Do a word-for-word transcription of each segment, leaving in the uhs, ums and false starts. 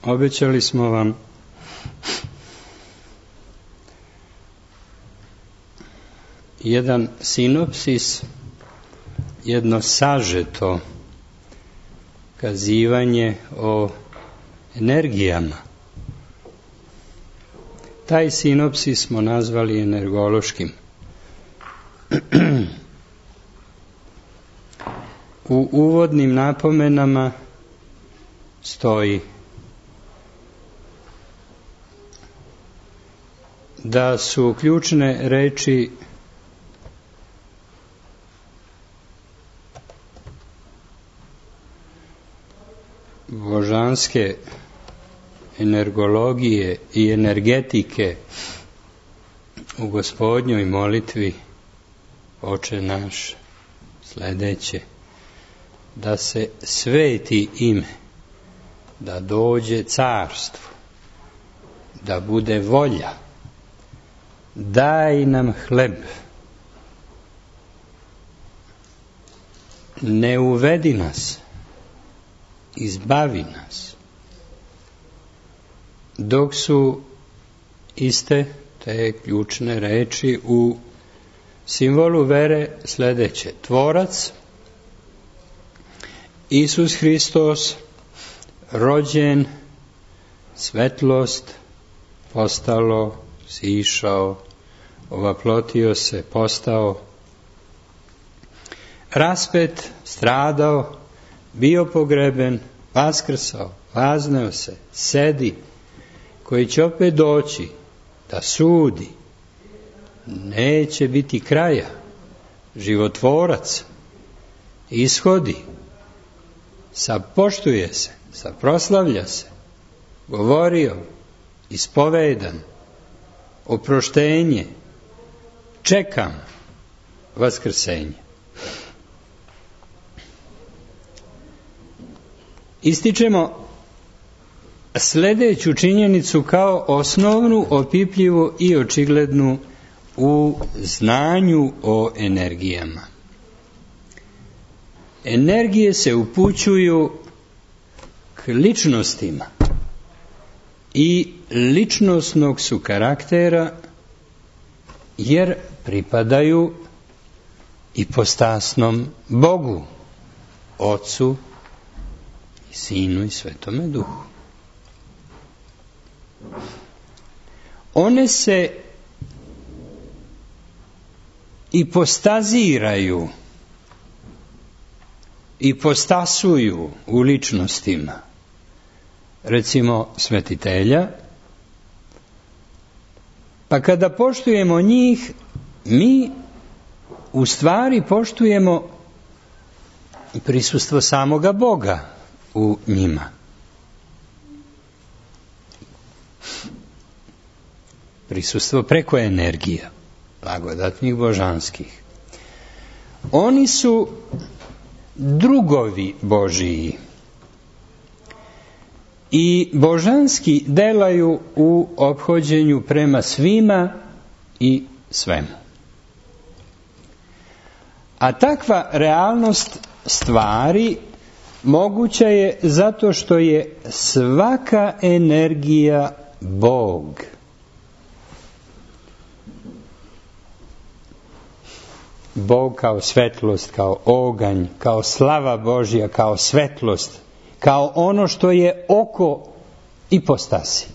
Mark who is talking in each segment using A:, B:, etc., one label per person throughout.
A: Obećali smo vam jedan sinopsis, jedno sažeto kazivanje o energijama. Taj sinopsis smo nazvali energološkim. U uvodnim napomenama stoji da su ključne reči božanske energologije i energetike u Gospodnjoj molitvi Oče naš sledeće: da se sveti ime, da dođe carstvo, da bude volja, daj nam hleb, ne uvedi nas, izbavi nas. Dok su iste te ključne reči u simbolu vere sledeće: Tvorac, Isus Hristos, rođen, svetlost, postalo, sišao, ovaplotio se, postao, raspet, stradao, bio pogreben, vaskrsao, vazneo se, sedi, koji će opet doći da sudi, neće biti kraja, životvorac, ishodi, sapoštuje se, saproslavlja se, govorio, ispovedan, oproštenje, čekam vaskrsenje. Ističemo sledeću činjenicu kao osnovnu, opipljivu i očiglednu u znanju o energijama. Energije se upućuju k ličnostima i ličnosnog su karaktera, jer pripadaju ipostasnom Bogu, Ocu i Sinu i Svetome Duhu. One se ipostaziraju, ipostasuju u ličnostima. Recimo svetitelja, pa kada poštujemo njih, mi u stvari poštujemo prisustvo samoga Boga u njima. Prisustvo preko energija, blagodatnih božanskih. Oni su drugovi Božiji i božanski delaju u ophođenju prema svima i svemu. A takva realnost stvari moguća je zato što je svaka energija Bog. Bog kao svetlost, kao oganj, kao slava Božja, kao svetlost, kao ono što je oko ipostasi.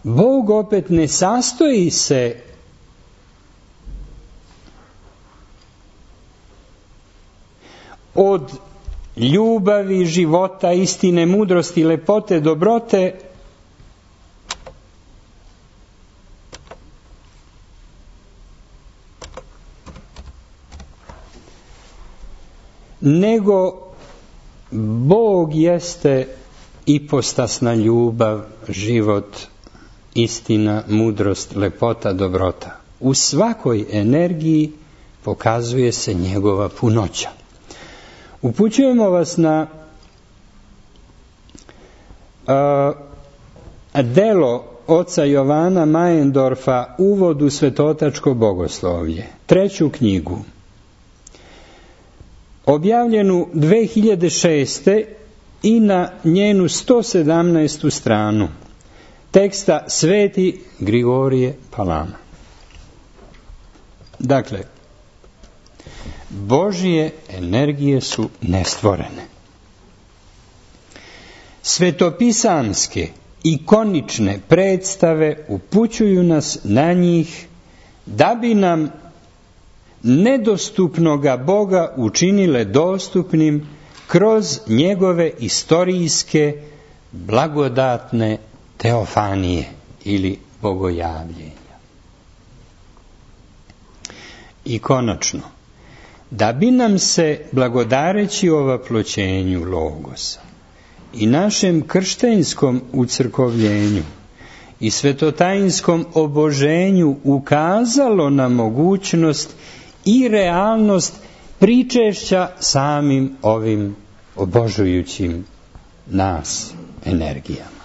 A: Bog opet ne sastoji se od ljubavi, života, istine, mudrosti, lepote, dobrote, nego Bog jeste ipostasna ljubav, život, istina, mudrost, lepota, dobrota. U svakoj energiji pokazuje se njegova punoća. Upućujemo vas na a, delo oca Jovana Majendorfa Uvod u svetotačko bogoslovlje, treću knjigu, objavljenu dve hiljade šeste. i na njenu sto sedamnaestu stranu teksta Sveti Grigorije Palama. Dakle, Božje energije su nestvorene. Svetopisamske, ikonične predstave upućuju nas na njih da bi nam nedostupnoga Boga učinile dostupnim kroz njegove istorijske blagodatne teofanije ili bogojavljenja. I konačno, da bi nam se, blagodareći ovaploćenju Logosa i našem krštenjskom ucrkovljenju i svetotajinskom oboženju ukazalo na mogućnost i realnost pričešća samim ovim obožujućim nas energijama.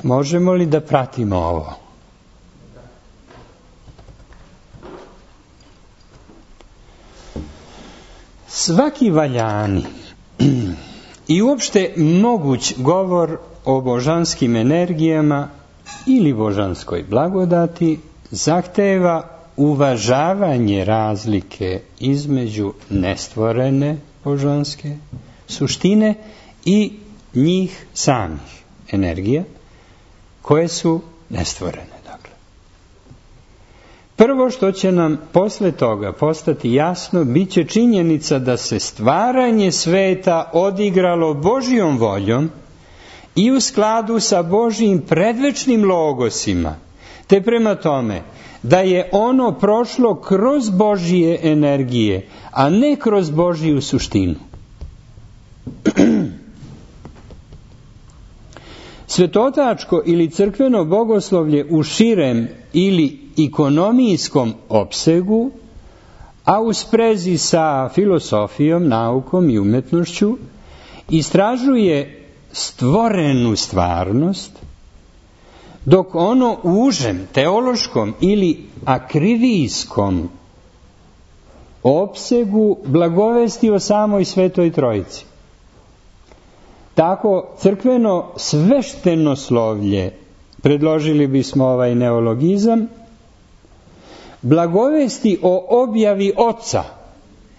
A: Možemo li da pratimo ovo? Svaki valjani i uopšte moguć govor o božanskim energijama ili božanskoj blagodati zahteva uvažavanje razlike između nestvorene božanske suštine i njih samih energija koje su nestvorene. Dakle, prvo što će nam posle toga postati jasno, bit će činjenica da se stvaranje sveta odigralo Božjom voljom i u skladu sa Božjim predvečnim logosima, te prema tome da je ono prošlo kroz Božje energije, a ne kroz Božju suštinu. Svetotačko ili crkveno bogoslovlje u širem ili ikonomijskom opsegu, a u sprezi sa filosofijom, naukom i umetnošću, istražuje stvorenu stvarnost, dok ono u užem, teološkom ili akrivijskom opsegu blagovesti o samoj Svetoj Trojici. Tako crkveno sveštenoslovlje, predložili bismo ovaj neologizam, blagovesti o objavi Oca,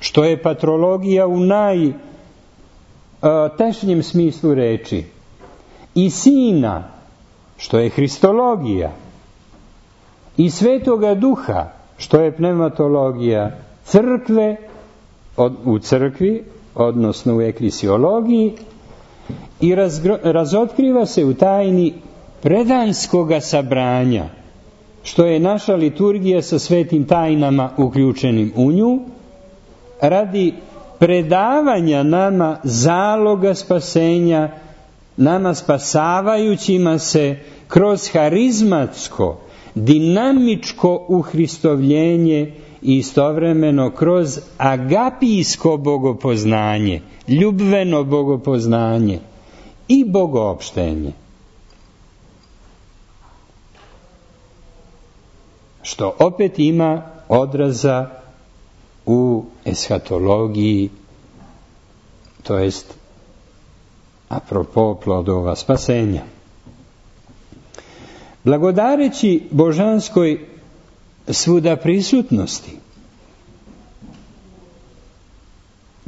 A: što je patrologija u najtešnjem smislu reči, i Sina, što je hristologija, i Svetoga Duha, što je pneumatologija crkve od, u crkvi, odnosno u eklisiologiji, i razgro, razotkriva se u tajni predanskoga sabranja, što je naša liturgija sa svetim tajnama uključenim u nju, radi predavanja nama zaloga spasenja, nama spasavajućima se kroz harizmatsko, dinamičko uhristovljenje i istovremeno kroz agapijsko bogopoznanje, ljubveno bogopoznanje i bogoopštenje. Što opet ima odraza u eshatologiji, to jest apropo plodova spasenja. Blagodareći božanskoj svuda prisutnosti,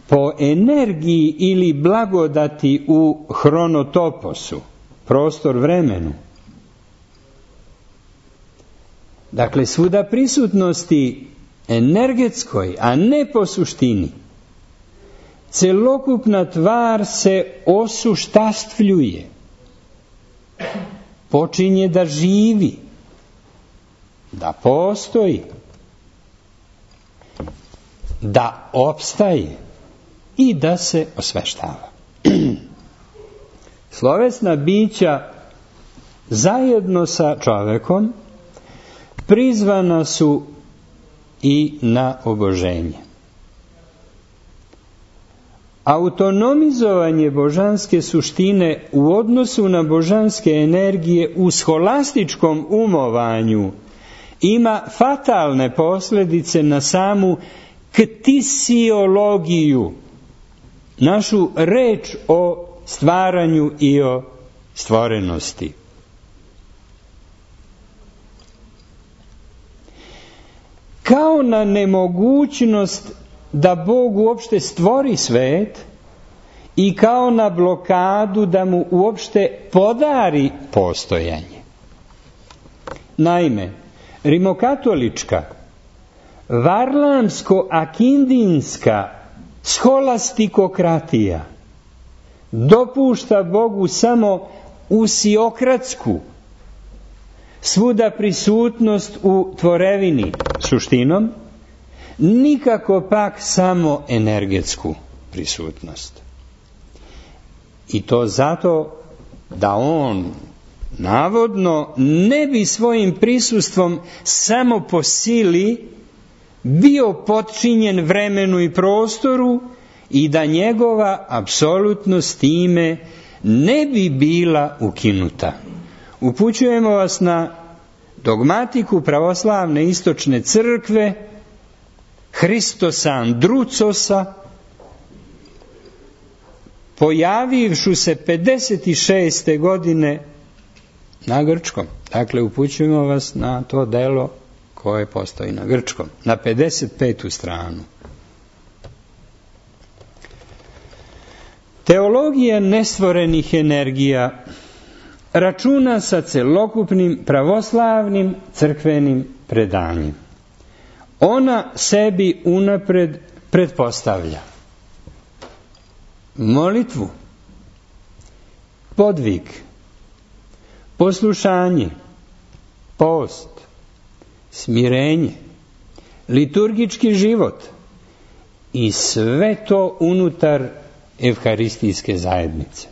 A: po energiji ili blagodati u hronotoposu, prostor vremenu, dakle svuda prisutnosti energetskoj, a ne po suštini, celokupna tvar se osuštastvljuje, počinje da živi, da postoji, da opstaje i da se osveštava. Slovesna bića zajedno sa čovekom prizvana su i na oboženje. autonomizovanje božanske suštine u odnosu na božanske energije u scholastičkom umovanju ima fatalne posljedice na samu ktisiologiju, našu reč o stvaranju i o stvorenosti. Kao na nemogućnost da Bog uopšte stvori svet i kao na blokadu da mu uopšte podari postojanje. Naime, rimokatolička, varlamsko-akindinska scholastikokratija dopušta Bogu samo usiokratsku, svuda prisutnost u tvorevini suštinom, nikako pak samo energetsku prisutnost. I to zato da on navodno ne bi svojim prisustvom samo po sili bio potčinjen vremenu i prostoru i da njegova apsolutnost time ne bi bila ukinuta. Upućujemo vas na dogmatiku pravoslavne istočne crkve Hristosa Andrucosa, pojavivšu se pedeset šeste godine na grčkom. Dakle, upućujemo vas na to delo koje postoji na grčkom, na pedeset petu stranu. Teologija nestvorenih energija računa sa celokupnim pravoslavnim crkvenim predanjem. Ona sebi unapred pretpostavlja molitvu, podvig, poslušanje, post, smirenje, liturgički život i sve to unutar evharistijske zajednice.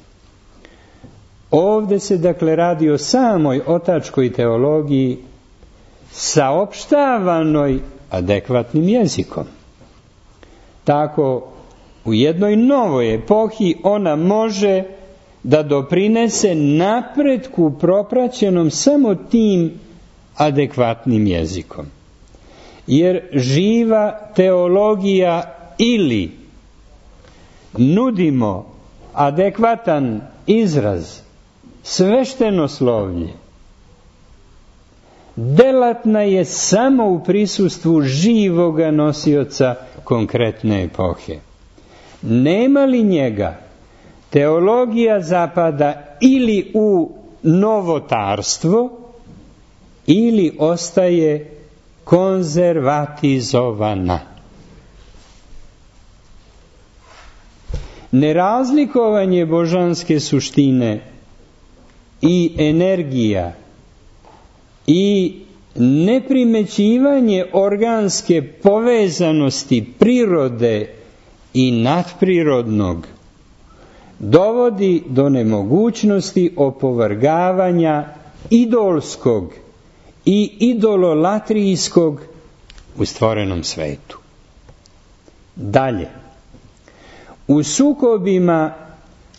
A: Ovdje se dakle radi o samoj otačkoj teologiji saopštavanoj adekvatnim jezikom. Tako u jednoj novoj epohi ona može da doprinese napretku propraćenom samo tim adekvatnim jezikom. Jer živa teologija ili nudimo adekvatan izraz, sveštenoslovlje, delatna je samo u prisustvu živoga nosioca konkretne epohe. Nema li njega, teologija zapada ili u novotarstvo ili ostaje konzervatizovana. Nerazlikovanje božanske suštine i energija i neprimećivanje organske povezanosti prirode i nadprirodnog dovodi do nemogućnosti opovrgavanja idolskog i idololatrijskog u stvorenom svetu. Dalje, u sukobima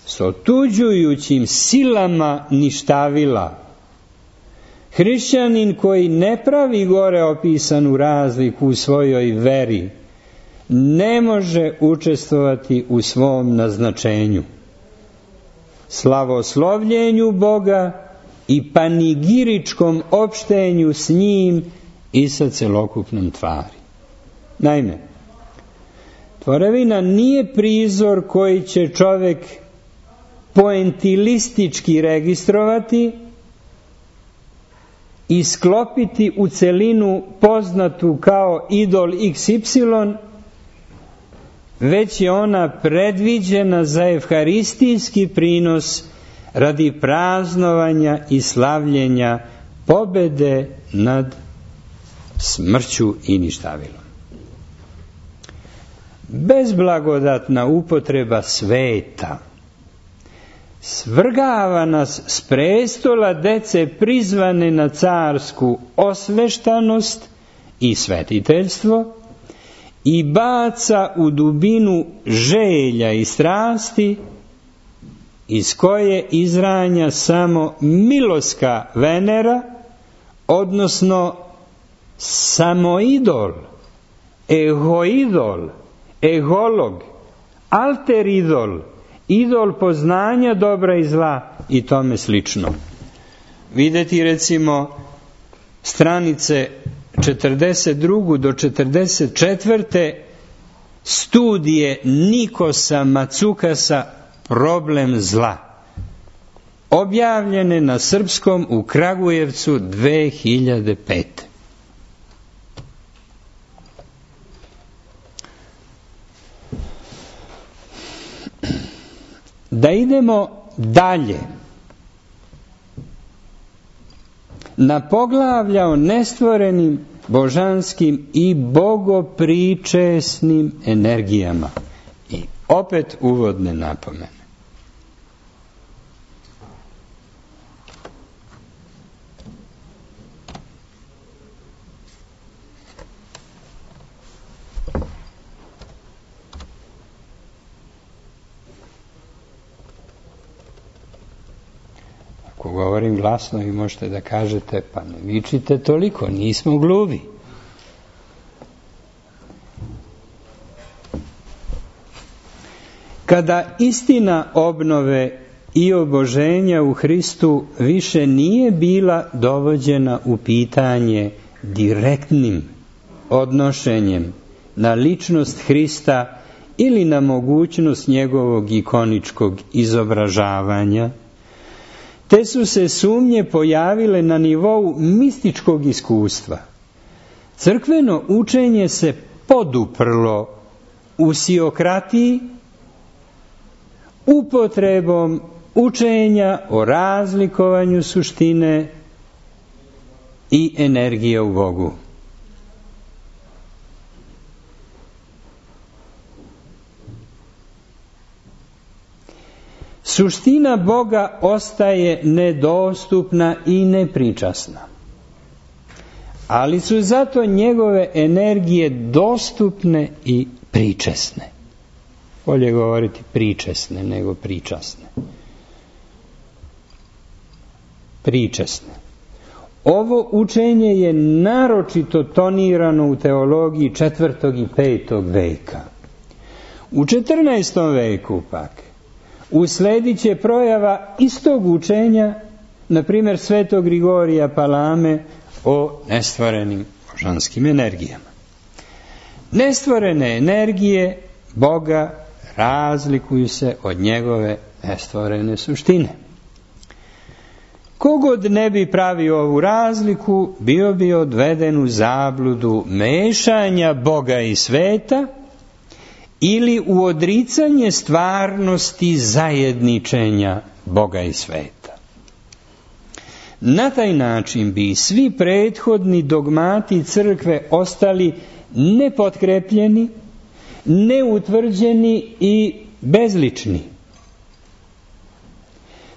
A: s otuđujućim silama ništavila, hrišćanin koji ne pravi gore opisanu razliku u svojoj veri ne može učestvovati u svom naznačenju, slavoslovljenju Boga i panigiričkom opštenju s njim i sa celokupnom tvari. Naime, tvorevina nije prizor koji će čovjek poentilistički registrovati i sklopiti u celinu poznatu kao idol iks ipsilon, već je ona predviđena za evharistijski prinos radi praznovanja i slavljenja pobede nad smrću i ništavilom. Bezblagodatna upotreba sveta svrgava nas s prestola dece prizvane na carsku osveštanost i svetiteljstvo i baca u dubinu želja i strasti, iz koje izranja samo miloska Venera, odnosno samoidol, egoidol, egolog, alteridol, idol poznanja dobra i zla i tome slično. Vidjeti recimo stranice četrdeset druge do četrdeset četvrte studije Nikosa Macukasa Problem zla, objavljene na srpskom u Kragujevcu dve hiljade pete. Da idemo dalje na poglavlja o nestvorenim božanskim i bogopričesnim energijama. I opet uvodne napomene. Ako govorim glasno, vi možete da kažete, pa ne vičite toliko, nismo gluvi. Kada istina obnove i oboženja u Hristu više nije bila dovođena u pitanje direktnim odnošenjem na ličnost Hrista ili na mogućnost njegovog ikoničkog izobražavanja, te su se sumnje pojavile na nivou mističkog iskustva. Crkveno učenje se poduprlo u siokratiji upotrebom učenja o razlikovanju suštine i energije u Bogu. Suština Boga ostaje nedostupna i nepričasna, ali su zato njegove energije dostupne i pričesne. Bolje govoriti pričesne nego pričasne. Pričesne. Ovo učenje je naročito tonirano u teologiji četvrtog i petog veka. U četrnaestom veku pak usledit će projava istog učenja, na primjer svetog Grigorija Palame o nestvorenim božanskim energijama. Nestvorene energije Boga razlikuju se od njegove nestvorene suštine. Kogod ne bi pravio ovu razliku, bio bi odveden u zabludu mešanja Boga i sveta ili u odricanje stvarnosti zajedničenja Boga i sveta. Na taj način bi svi prethodni dogmati crkve ostali nepotkrepljeni, neutvrđeni i bezlični.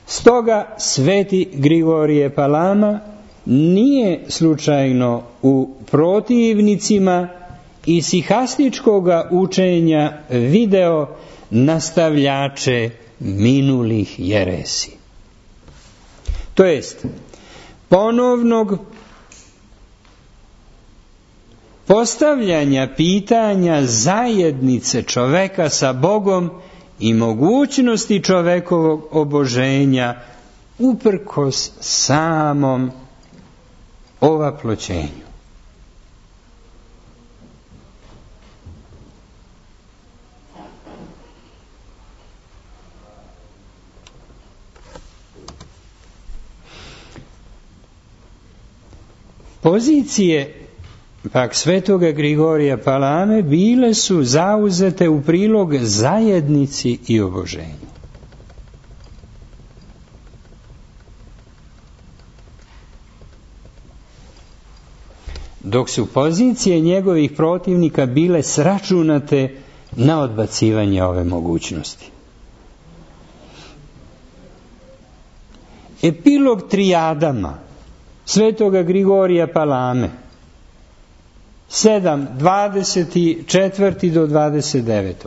A: Stoga sveti Grigorije Palama nije slučajno u protivnicima isihastičkoga učenja video nastavljače minulih jeresi. To jest, ponovnog postavljanja pitanja zajednice čoveka sa Bogom i mogućnosti čovekovog oboženja uprkos samom ovaploćenju. Pozicije pak svetoga Grigorija Palame bile su zauzete u prilog zajednici i oboženju. Dok su pozicije njegovih protivnika bile sračunate na odbacivanje ove mogućnosti. Epilog trijadama svetoga Grigorija Palame sedam, dvadeset četiri do dvadeset devet.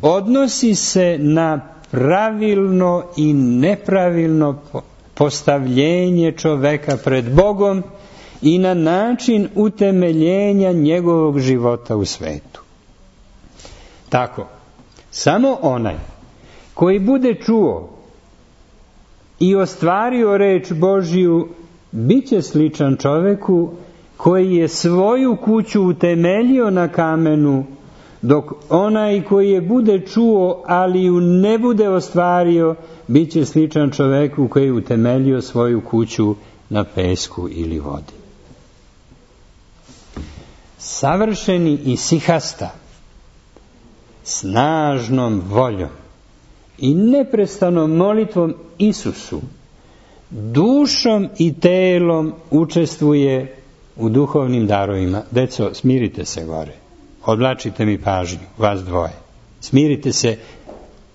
A: Odnosi se na pravilno i nepravilno postavljenje čoveka pred Bogom i na način utemeljenja njegovog života u svetu. Tako, samo onaj koji bude čuo i ostvario reč Božju, bit će sličan čoveku koji je svoju kuću utemeljio na kamenu, dok onaj koji je bude čuo, ali ju ne bude ostvario, bit će sličan čoveku koji je utemeljio svoju kuću na pesku ili vodi. Savršeni isihasta, snažnom voljom i neprestanom molitvom Isusu, dušom i telom učestvuje u duhovnim darovima. Deco, smirite se gore. Odvlačite mi pažnju, vas dvoje. Smirite se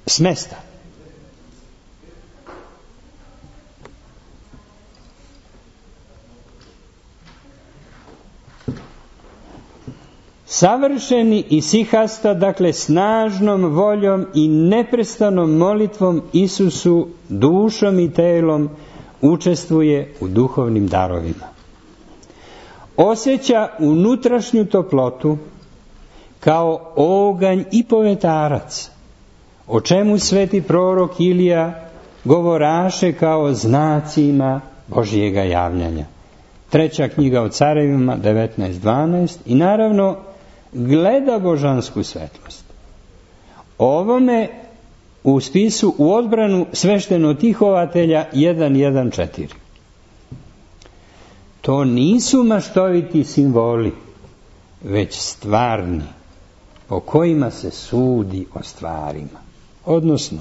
A: s mesta. Savršeni isihasta, dakle snažnom voljom i neprestanom molitvom Isusu, dušom i telom učestvuje u duhovnim darovima. Osjeća unutrašnju toplotu kao oganj i povetarac, o čemu sveti prorok Ilija govoraše kao znacima Božjega javljanja. Treća knjiga o carevima, devetnaest dvanaest, i naravno gleda božansku svetlost. Ovome u spisu u odbranu sveštenotihovatelja jedan jedan četiri. To nisu maštoviti simboli, već stvarni, po kojima se sudi o stvarima. Odnosno,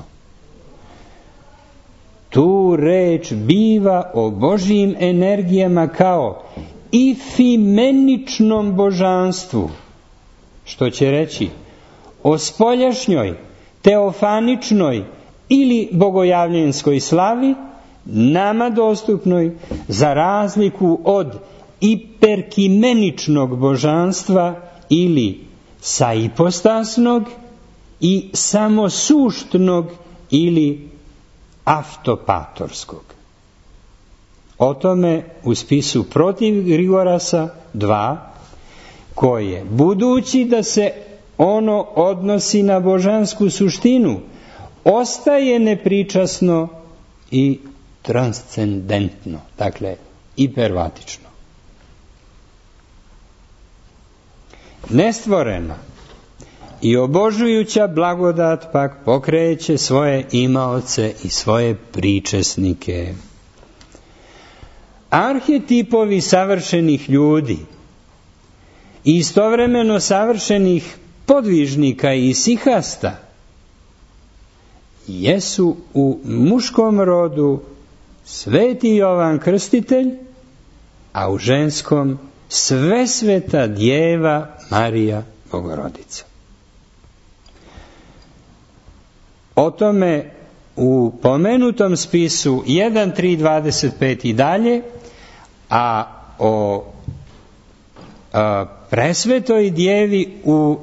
A: tu reč biva o Božjim energijama kao ifimeničnom božanstvu, što će reći o spoljašnjoj, teofaničnoj ili bogojavljenskoj slavi, nama dostupnoj, za razliku od iperkimeničnog božanstva ili saipostasnog i samosuštnog ili aftopatorskog. O tome u spisu protiv Grigorasa dva, koje, budući da se ono odnosi na božansku suštinu, ostaje nepričasno i transcendentno, dakle hipervatično. Nestvorena i obožujuća blagodat pak pokreće svoje imaoce i svoje pričesnike. Arhetipovi savršenih ljudi i istovremeno savršenih podvižnika i isihasta jesu u muškom rodu sveti Jovan Krstitelj, a u ženskom Svesveta Djeva Marija Bogorodica. O tome u pomenutom spisu jedan tri dvadeset pet i dalje, a o a, Presvetoj Djevi u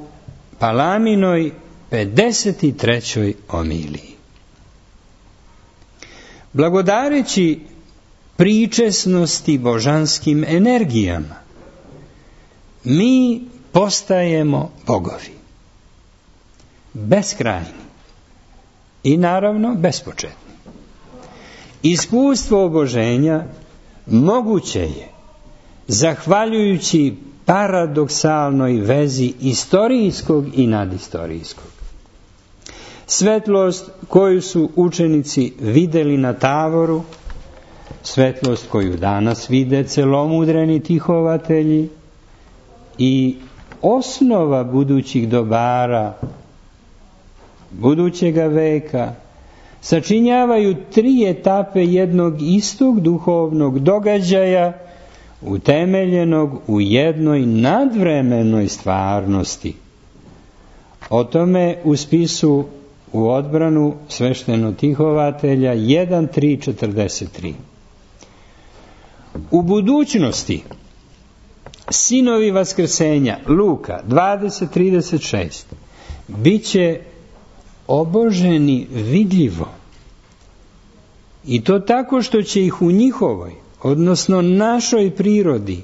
A: Palaminoj pedeset trećoj omiliji. Blagodareći pričesnosti božanskim energijama, mi postajemo bogovi. Beskrajni i naravno bespočetni. Iskustvo oboženja moguće je zahvaljujući paradoksalnoj vezi istorijskog i nadistorijskog. Svetlost koju su učenici videli na Tavoru, svetlost koju danas vide celomudreni tihovatelji i osnova budućih dobara budućega veka, sačinjavaju tri etape jednog istog duhovnog događaja utemeljenog u jednoj nadvremenoj stvarnosti. O tome u spisu u odbranu sveštenotihovatelja jedan tri četrdeset tri. U budućnosti sinovi vaskrsenja, Luka dvadeset trideset šest, bit će oboženi vidljivo. I to tako što će ih u njihovoj, odnosno našoj prirodi,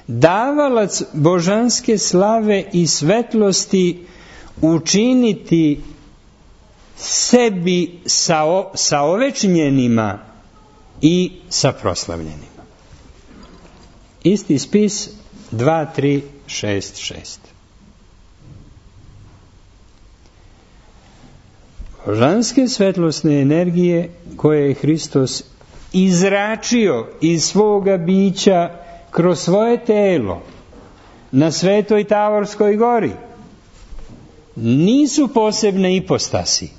A: davalac božanske slave i svetlosti učiniti sebi sa, o, sa ovečnjenima i sa proslavljenima. Isti spis dva, tri, šest, šest. Božanske svetlosne energije koje je Hristos izračio iz svoga bića kroz svoje telo na Svetoj Tavorskoj gori nisu posebne ipostasi,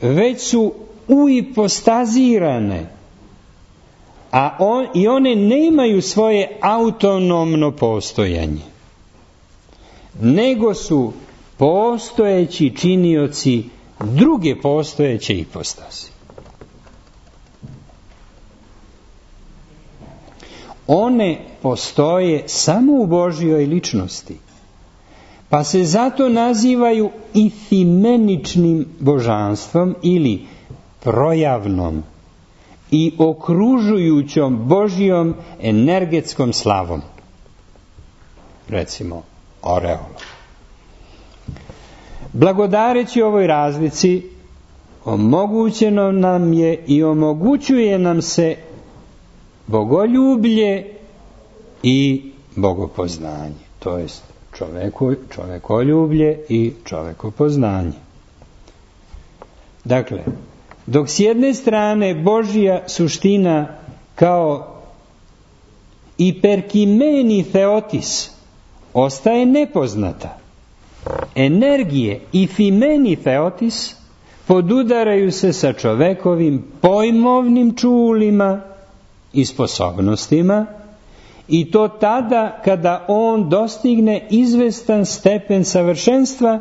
A: već su uipostazirane, a on, i one nemaju svoje autonomno postojanje, nego su postojeći činioci druge postojeće ipostasi. One postoje samo u Božjoj ličnosti, pa se zato nazivaju ifimeničnim božanstvom ili projavnom i okružujućom Božjom energetskom slavom. Recimo, oreolom. Blagodareći ovoj razlici, omogućeno nam je i omogućuje nam se bogoljublje i bogopoznanje, to jest čoveku, čovekoljublje i čovekopoznanje. Dakle, dok s jedne strane Božja suština kao iperkimeni theotis ostaje nepoznata, energije i fimeni theotis podudaraju se sa čovekovim pojmovnim čulima i sposobnostima, i to tada kada on dostigne izvestan stepen savršenstva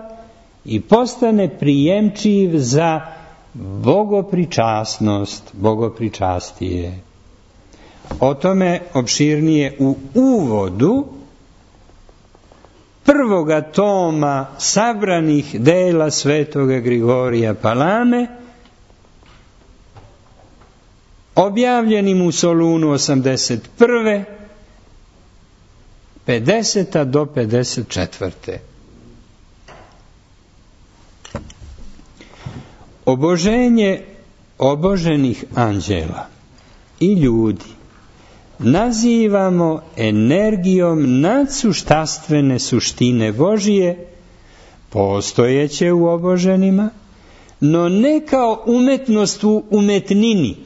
A: i postane prijemčiv za bogopričasnost, bogopričastije. O tome opširnije u uvodu prvoga toma sabranih dela svetoga Grigorija Palame, objavljenim u Solunu osamdeset prve, pedeseta do pedeset četvrte. Oboženje oboženih anđela i ljudi nazivamo energijom nadsuštastvene suštine Božije, postojeće u oboženima, no ne kao umetnost u umetnini,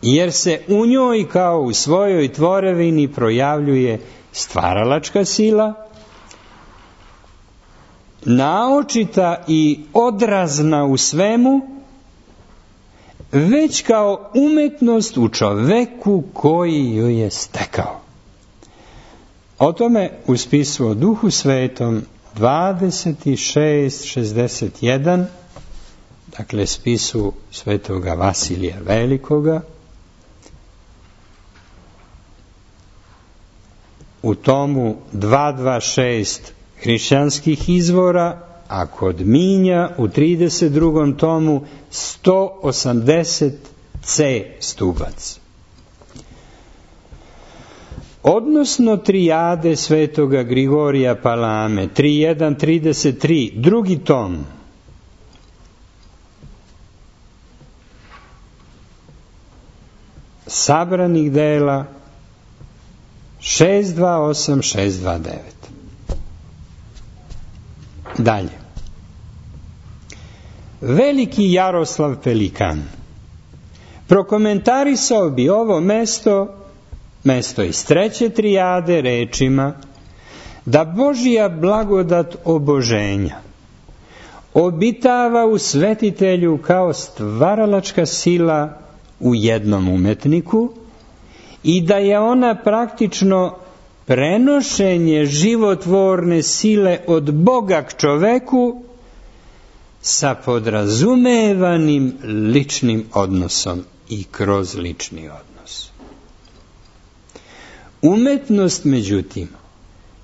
A: jer se u njoj kao u svojoj tvorevini projavljuje stvaralačka sila, naočita i odrazna u svemu, već kao umetnost u čoveku koji ju je stekao. O tome u spisu o Duhu Svetom dvadeset šest šezdeset jedan, dakle spisu svetoga Vasilija Velikoga, u tomu dvesta dvadeset šest hrišćanskih izvora, a kod Minja u trideset drugom tomu sto osamdeset C stubac. Odnosno trijade svetoga Grigorija Palame, tri jedan trideset tri, drugi tom, sabranih dela šest dvadeset osam šest dvadeset devet. Dalje. Veliki Jaroslav Pelikan prokomentarisao bi ovo mesto, mesto iz treće trijade, rečima da Božja blagodat oboženja obitava u svetitelju kao stvaralačka sila u jednom umetniku i da je ona praktično prenošenje životvorne sile od Boga k čoveku sa podrazumevanim ličnim odnosom i kroz lični odnos. Umetnost, međutim,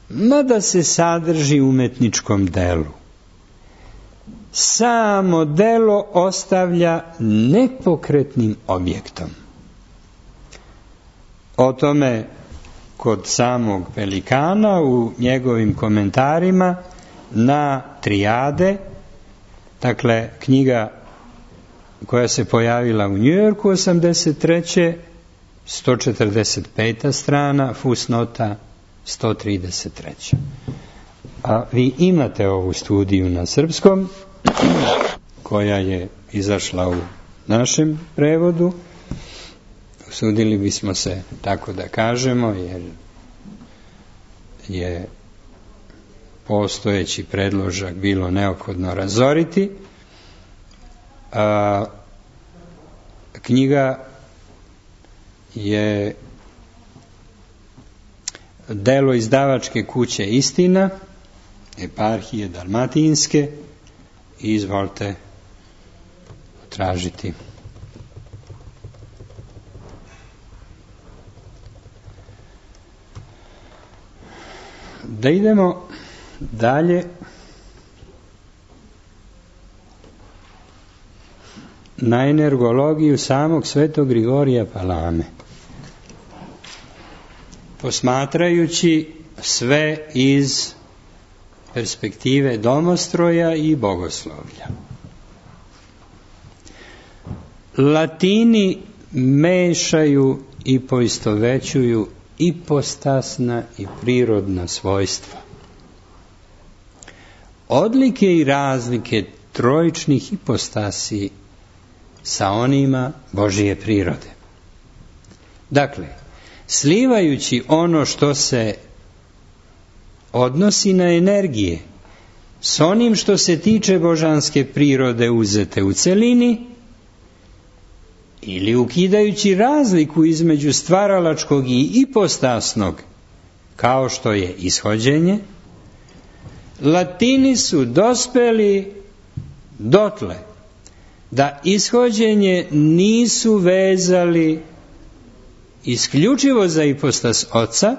A: mada se sadrži u umetničkom delu, samo delo ostavlja nepokretnim objektom. O tome kod samog Pelikana u njegovim komentarima na Trijade, dakle knjiga koja se pojavila u Njujorku osamdeset treće sto četrdeset peta strana, fusnota sto trideset treća. A vi imate ovu studiju na srpskom, koja je izašla u našem prevodu. Usudili bismo se tako da kažemo, jer je postojeći predložak bilo neophodno razoriti. A, knjiga je delo izdavačke kuće Istina, eparhije Dalmatinske, i izvolite tražiti. Da idemo dalje na energologiju samog svetog Grigorija Palame. Posmatrajući sve iz perspektive domostroja i bogoslovlja. Latini mešaju i poistovećuju ipostasna i prirodna svojstva. Odlike i razlike trojičnih ipostasi sa onima Božije prirode. Dakle, slivajući ono što se odnosi na energije s onim što se tiče božanske prirode uzete u celini, ili ukidajući razliku između stvaralačkog i ipostasnog, kao što je ishođenje, Latini su dospeli dotle da ishođenje nisu vezali isključivo za ipostas Oca,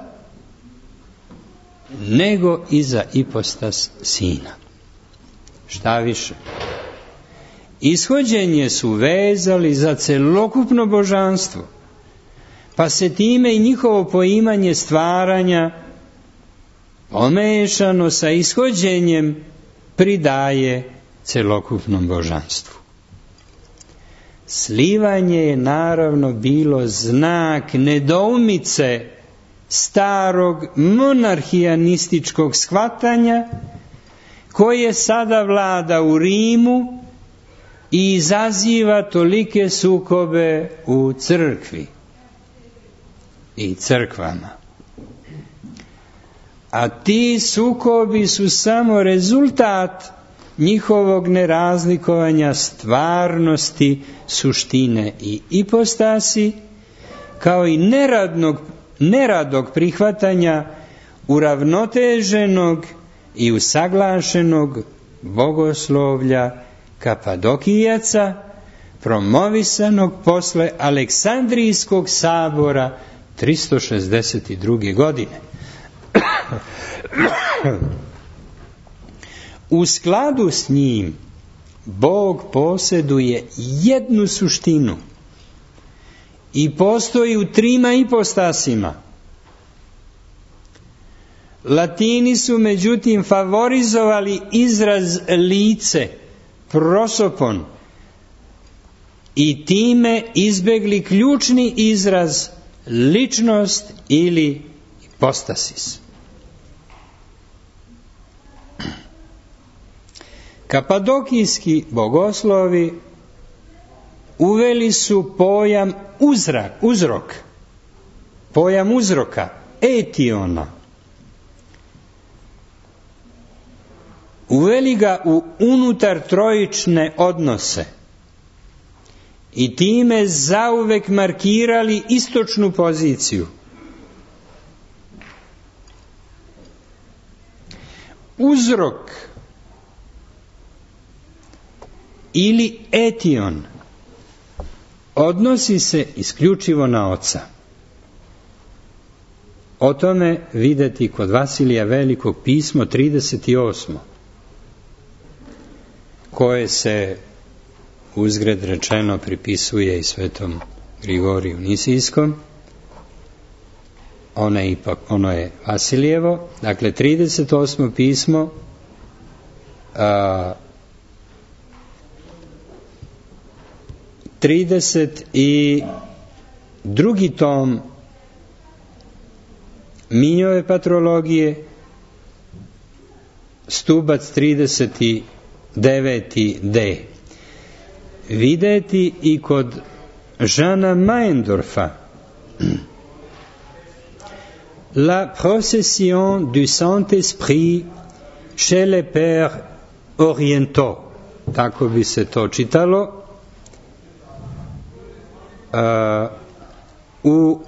A: nego i za ipostas Sina. Šta više, ishođenje su vezali za celokupno božanstvo, pa se time i njihovo poimanje stvaranja pomešano sa ishođenjem pridaje celokupnom božanstvu. Slivanje je naravno bilo znak nedoumice starog monarhijanističkog shvatanja koje sada vlada u Rimu i izaziva tolike sukobe u crkvi i crkvama. A ti sukobi su samo rezultat njihovog nerazlikovanja stvarnosti, suštine i ipostasi, kao i neradnog, neradog prihvatanja uravnoteženog i usaglašenog bogoslovlja Kapadokijaca, promovisanog posle Aleksandrijskog sabora tristo šezdeset druge. godine. U skladu s njim, Bog posjeduje jednu suštinu i postoji u trima ipostasima. Latini su međutim favorizovali izraz lice, prosopon, i time izbegli ključni izraz ličnost ili ipostasis. Kapadokijski bogoslovi uveli su pojam uzrak, uzrok, pojam uzroka, etiona. Uveli ga u unutar trojične odnose i time zauvek markirali istočnu poziciju. Uzrok ili etion odnosi se isključivo na Oca. o tome videti kod Vasilija Velikog pismo trideset osmo, koje se uzgred rečeno pripisuje i svetom Grigoriju Nisijskom. Ono je ipak, ono je Vasilijevo. Dakle, trideset osmo pismo, a, trideset drugi tom Minjove patrologije, stubac trideset deveti D. Videti i kod Žana Maendorfa La procession du Saint-Esprit chez les Pères Orientaux, tako bi se to čitalo, uh, u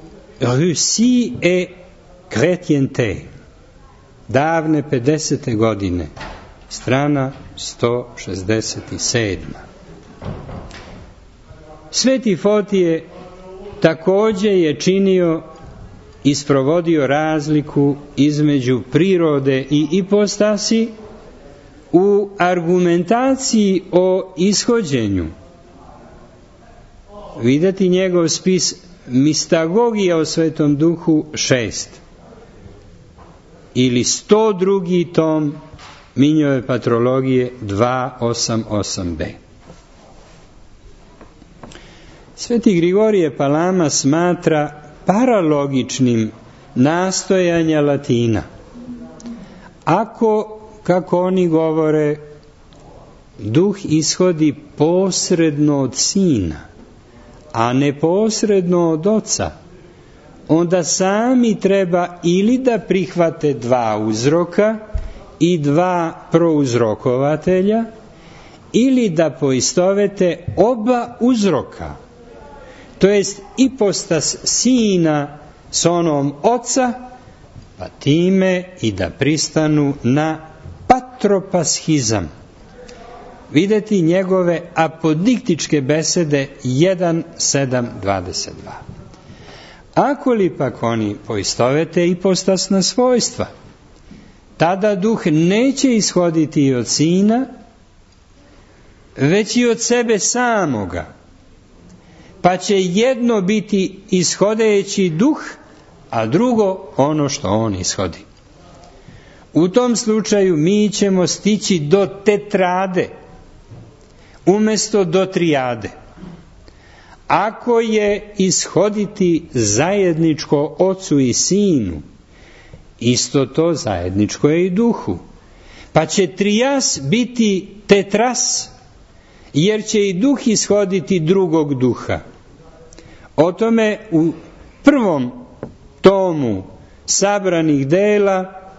A: Rusiji et Chrétienté, davne pedesete godine, strana sto šezdeset sedam. Sveti Fotije također je činio i sprovodio razliku između prirode i ipostasi u argumentaciji o ishođenju. Videti njegov spis Mistagogija o Svetom Duhu šest ili sto drugi tom Minjove patrologije dvesta osamdeset osam B. Sveti Grigorije Palama smatra paralogičnim nastojanja Latina. Ako, kako oni govore, duh ishodi posredno od Sina, a neposredno od Oca, onda sami treba ili da prihvate dva uzroka i dva prouzrokovatelja, ili da poistovete oba uzroka, to jest ipostas Sina s onom Oca, pa time i da pristanu na patropaschizam. Videti njegove apodiktičke besede jedan sedam dvadeset dva. Ako li pak oni poistovete ipostasna svojstva, tada duh neće ishoditi i od Sina, već i od sebe samoga, pa će jedno biti ishodeći duh, a drugo ono što on ishodi. U tom slučaju mi ćemo stići do tetrade, umjesto do trijade. Ako je ishoditi zajedničko Ocu i Sinu, isto to zajedničko je i duhu, pa će trijas biti tetras, jer će i duh ishoditi drugog duha. O tome u prvom tomu sabranih dela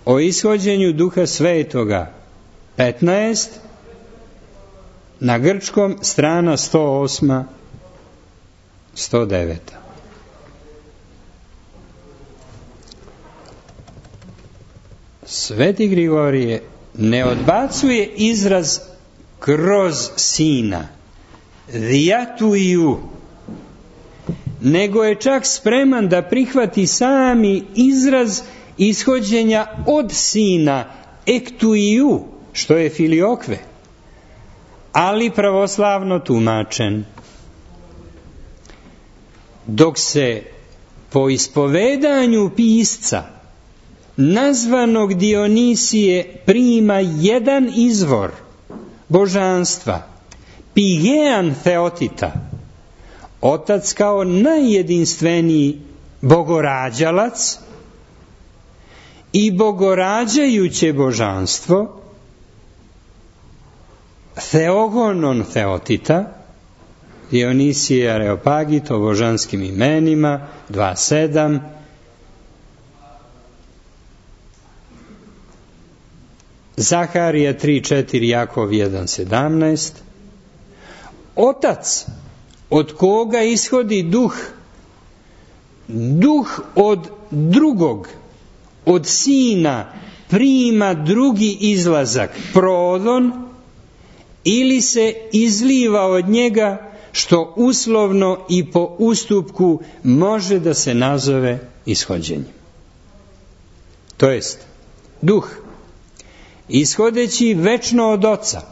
A: o ishođenju Duha Svetoga petnaest, na grčkom strana sto osam sto devet. Sveti Grigorije ne odbacuje izraz kroz Sina, diatuiju, nego je čak spreman da prihvati sami izraz ishođenja od Sina, ektuiju, što je filiokve, ali pravoslavno tumačen. Dok se po ispovedanju pisca nazvanog Dionisije prima jedan izvor božanstva, Pigean Theotita, Otac kao najjedinstveniji bogorađalac i bogorađajuće božanstvo, Theogonon Theotita, Dionisije Areopagit o božanskim imenima, dva sedam, Zaharija tri četiri, Jakov jedan sedamnaest, Otac od koga ishodi duh, duh od drugog, od Sina prima drugi izlazak, prodon, ili se izliva od njega, što uslovno i po ustupku može da se nazove ishođenjem. to jest duh, ishodeći večno od Oca,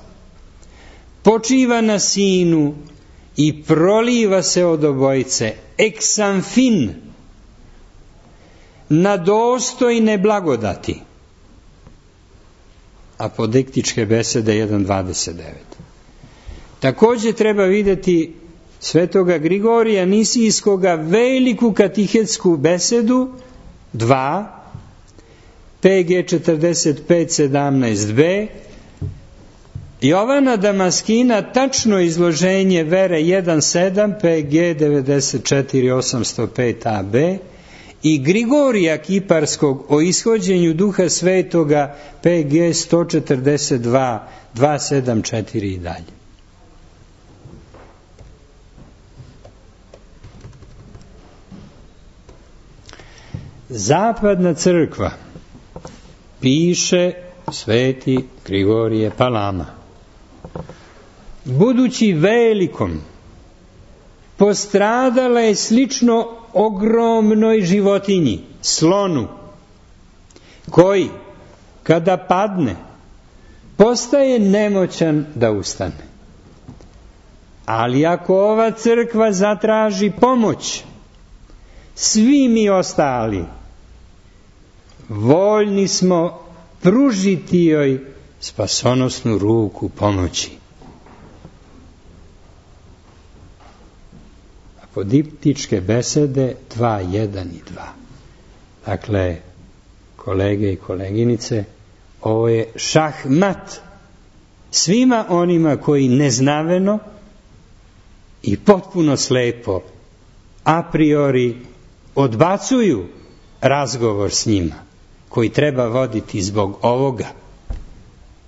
A: počiva na Sinu i proliva se od obojice, eksamfin, na dostojne blagodati. Apodiktičke besede jedan dvadeset devet. Također treba vidjeti svetoga Grigorija Nisijskoga veliku katihetsku besedu dva, P G četrdeset pet sedamnaest b, Jovana Damaskina tačno izloženje vere jedan sedam, P G devedeset četiri osamsto pet a b i Grigorija Kiparskog o ishođenju Duha Svetoga, P G sto četrdeset dva, dvesta sedamdeset četiri i dalje. Zapadna crkva, piše sveti Grigorije Palama, budući velikom, postradala je slično ogromnoj životinji, slonu, koji, kada padne, postaje nemoćan da ustane. Ali ako ova crkva zatraži pomoć, svi mi ostali voljni smo pružiti joj spasonosnu ruku pomoći. Apodiktičke besede dva, jedan i dva. Dakle, kolege i koleginice, ovo je šahmat svima onima koji neznaveno i potpuno slepo a priori odbacuju razgovor s njima, koji treba voditi zbog ovoga,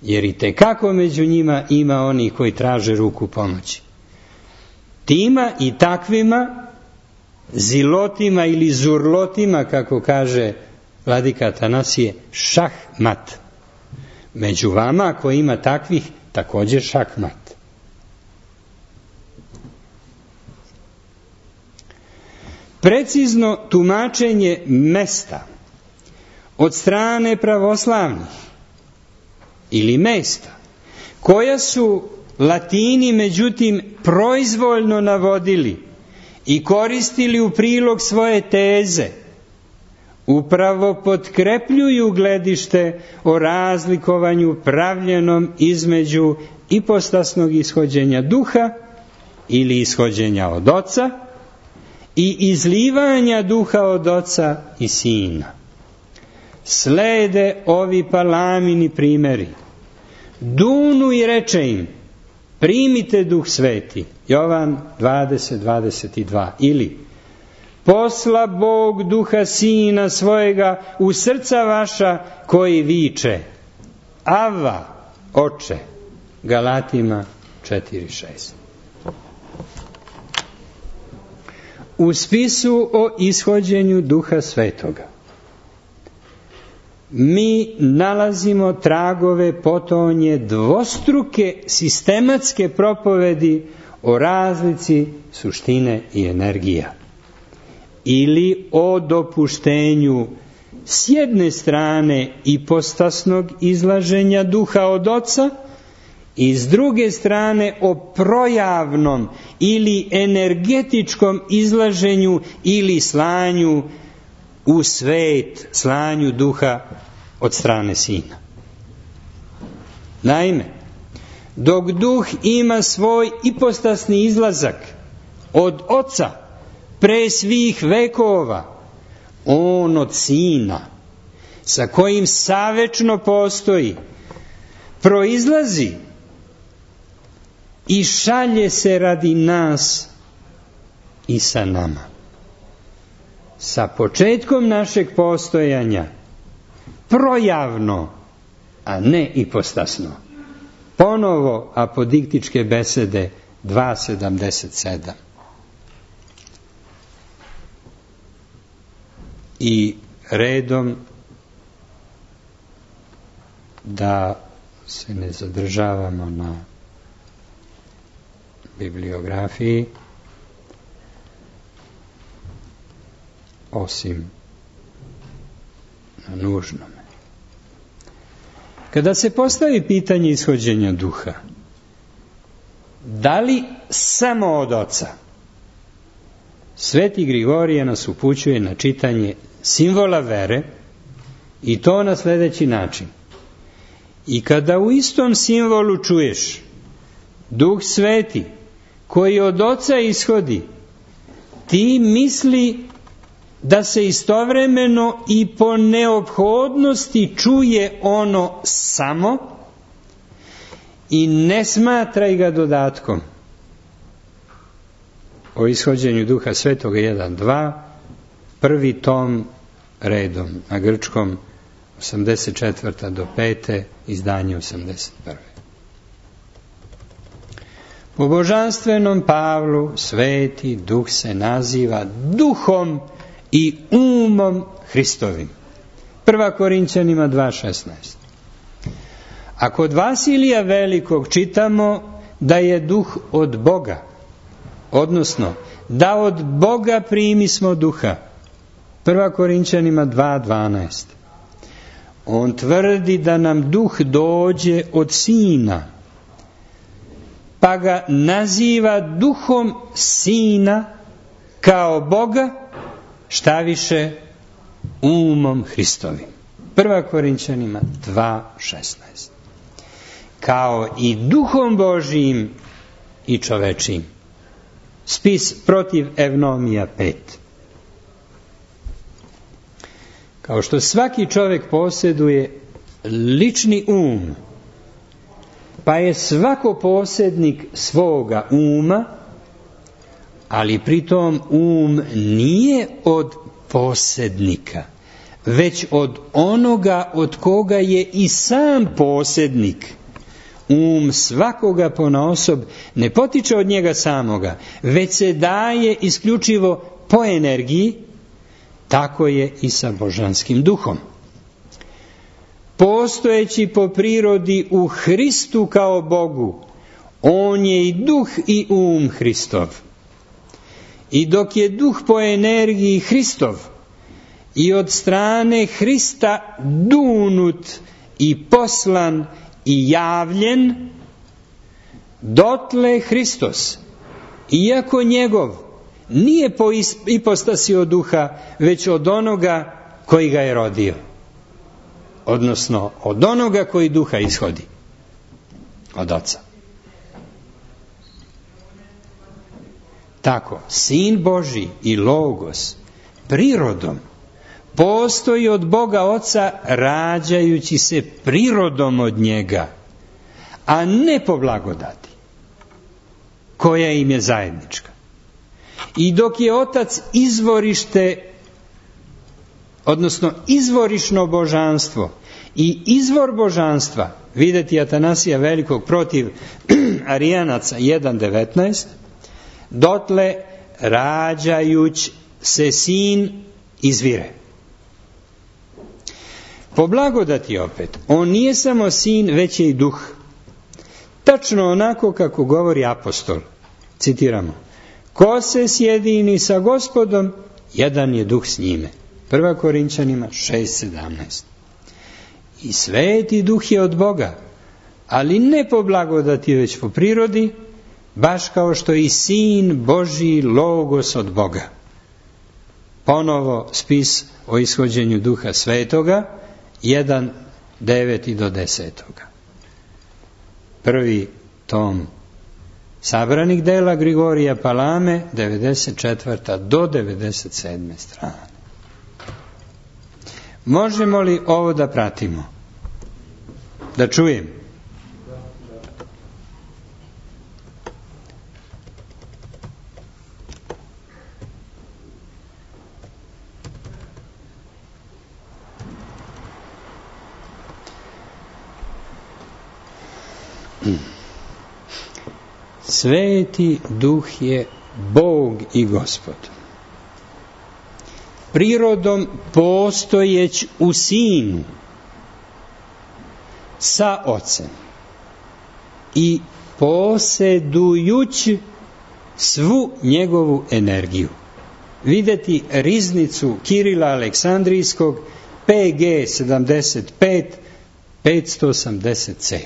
A: jer i tekako među njima ima onih koji traže ruku pomoći. Tima i takvima, zilotima ili zurlotima, kako kaže vladika Atanasije, šahmat. Među vama, ako ima takvih, također šahmat. Precizno tumačenje mesta od strane pravoslavnih ili mesta, koja su Latini međutim proizvoljno navodili i koristili u prilog svoje teze, upravo potkrepljuju gledište o razlikovanju pravljenom između ipostasnog ishođenja duha ili ishođenja od Oca i izlivanja duha od Oca i Sina. Slede ovi Palamini primjeri. Dunu i reče im: primite Duh Sveti. Jovan dvadeset, dvadeset dva. Ili: posla Bog Duha Sina svojega u srca vaša, koji viče: Ava, Oče. Galatima četiri šest. U spisu o ishođenju Duha Svetoga mi nalazimo tragove potonje dvostruke sistematske propovedi o razlici suštine i energija, ili o dopuštenju s jedne strane ipostasnog izlaženja duha od Oca i s druge strane o projavnom ili energetičkom izlaženju ili slanju u svet, slanju duha od strane Sina. Naime, dok duh ima svoj ipostasni izlazak od Oca pre svih vekova, on od Sina, sa kojim savečno postoji, proizlazi i šalje se radi nas i sa nama. Sa početkom našeg postojanja, projavno, a ne ipostasno. Ponovo apodiktičke besede dva sedamdeset sedam. I redom, da se ne zadržavamo na bibliografiji, osim na nužnome. Kada se postavi pitanje ishođenja duha, da li samo od Oca, Sveti Grigorije nas upućuje na čitanje simbola vere, i to na sljedeći način. I kada u istom simbolu čuješ Duh Sveti koji od Oca ishodi, ti misli da se istovremeno i po neophodnosti čuje ono samo i ne smatraj ga dodatkom. O ishođenju Duha Svetoga jedan dva, prvi tom redom, na grčkom osamdeset četvrta do pete, izdanje osamdeset prve. Po božanstvenom Pavlu Sveti Duh se naziva Duhom i umom Hristovim. Prva Korinćanima dva šesnaest. A kod Vasilija Velikog čitamo da je Duh od Boga, odnosno da od Boga primi smo Duha. Prva Korinćanima dva dvanaest. On tvrdi da nam Duh dođe od Sina, pa ga naziva Duhom Sina kao Boga, šta više umom Hristovim. Prva Korinćanima dva šesnaest. Kao i Duhom Božijim i čovečijim. Spis protiv Evnomija pet. Kao što svaki čovjek posjeduje lični um, pa je svako posjednik svoga uma, ali pritom um nije od posjednika, već od onoga od koga je i sam posjednik. Um svakoga ponaosob ne potiče od njega samoga, već se daje isključivo po energiji. Tako je i sa božanskim duhom. Postojeći po prirodi u Hristu kao Bogu, on je i duh i um Hristov. I dok je duh po energiji Hristov i od strane Hrista dunut i poslan i javljen, dotle Hristos, iako njegov, nije po ipostasi od duha, već od onoga koji ga je rodio. Odnosno, od onoga koji duha ishodi. Od Oca. Tako, Sin Božji i Logos prirodom postoji od Boga Oca, rađajući se prirodom od njega, a ne po blagodati, koja im je zajednička. I dok je Otac izvorište, odnosno izvorišno božanstvo i izvor božanstva, vidjeti Atanasija Velikog protiv Arijanaca jedan devetnaest, dotle rađajuć se Sin izvire. Po blagodati opet, on nije samo Sin, već je i Duh. Tačno onako kako govori apostol. Citiramo. Ko se sjedini sa Gospodom, jedan je Duh s njime. Prva Korinćanima šest sedamnaest. I Sveti Duh je od Boga, ali ne po blagodati, već po prirodi, baš kao što i Sin Božji Logos od Boga. Ponovo spis o ishođenju Duha Svetoga, jedan devet do deset. Prvi tom sabranih dela Grigorija Palame, devedeset četvrta do devedeset sedme strane. Možemo li ovo da pratimo? Da čujem. Sveti Duh je Bog i Gospod. Prirodom postojeć u Sinu sa Ocem i posjedujući svu njegovu energiju. Vidjeti riznicu Kirila Aleksandrijskog P G sedamdeset pet petsto osamdeset C.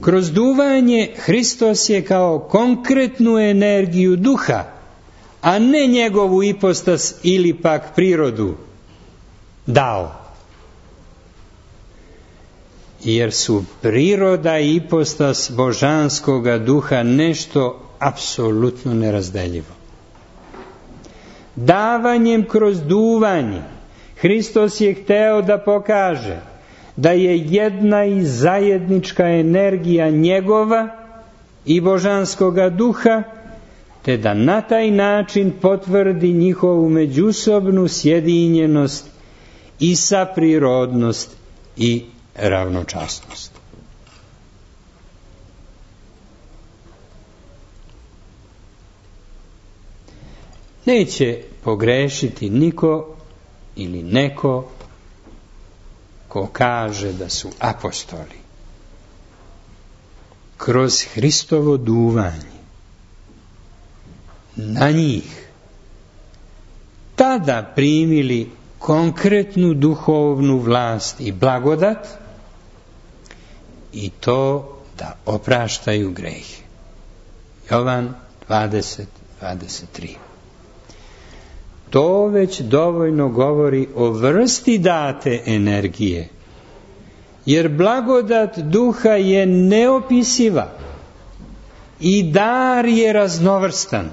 A: Kroz duvanje Hristos je kao konkretnu energiju duha, a ne njegovu ipostas ili pak prirodu dao. Jer su priroda i ipostas božanskoga duha nešto apsolutno nerazdeljivo. Davanjem kroz duvanje Hristos je hteo da pokaže da je jedna i zajednička energija njegova i božanskoga duha, te da na taj način potvrdi njihovu međusobnu sjedinjenost i saprirodnost i ravnočasnost. Neće pogrešiti niko ili neko ko kaže da su apostoli kroz Hristovo duvanje na njih tada primili konkretnu duhovnu vlast i blagodat, i to da opraštaju grehe. Jovan dvadeset dvadeset tri. To već dovoljno govori o vrsti date energije, jer blagodat duha je neopisiva i dar je raznovrstan.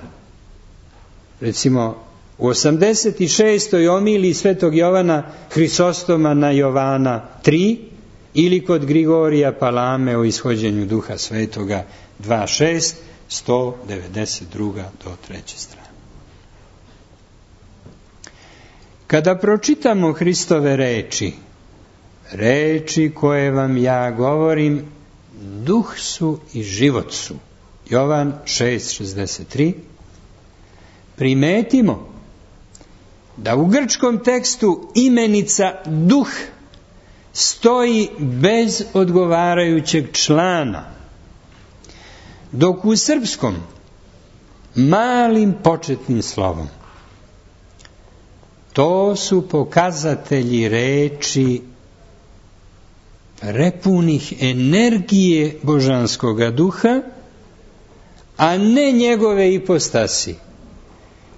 A: Recimo, u osamdeset šestoj omiliji Svetog Jovana Hrisostoma na Jovana tri ili kod Grigorija Palame o ishođenju Duha Svetoga dva šest, sto devedeset druga do treće strane. Kada pročitamo Hristove reči, reči koje vam ja govorim, duh su i život su, Jovan šest šezdeset tri, primetimo da u grčkom tekstu imenica duh stoji bez odgovarajućeg člana, dok u srpskom malim početnim slovom. To su pokazatelji reči prepunih energije božanskoga duha, a ne njegove ipostasi,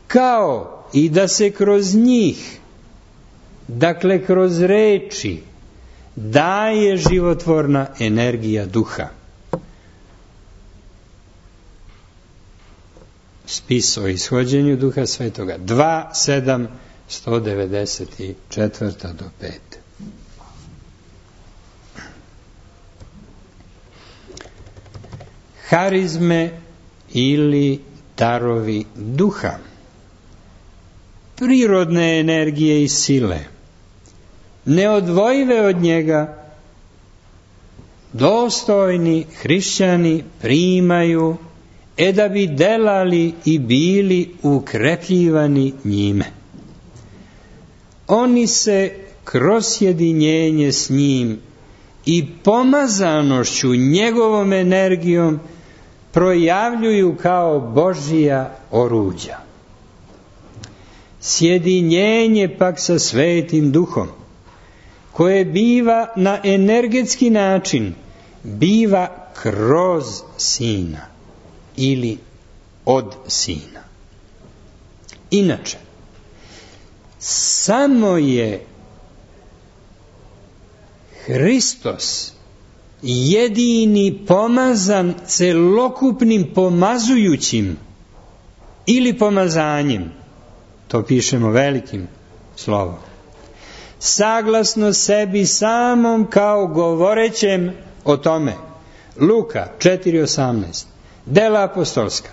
A: kao i da se kroz njih, dakle kroz reči, daje životvorna energija duha. Spis o ishođenju Duha Svetoga dva sedam sto devedeset četiri do pet. Harizme ili darovi duha, prirodne energije i sile, neodvojive od njega, dostojni hrišćani primaju, e da bi delali i bili ukrepljivani njime. Oni se kroz sjedinjenje s njim i pomazanošću njegovom energijom projavljuju kao Božija oruđa. Sjedinjenje pak sa Svetim Duhom, koje biva na energetski način, biva kroz Sina ili od Sina. Inače, samo je Hristos jedini pomazan celokupnim pomazujućim ili pomazanjem, to pišemo velikim slovom, saglasno sebi samom kao govorećem o tome. Luka četiri osamnaest, Dela apostolska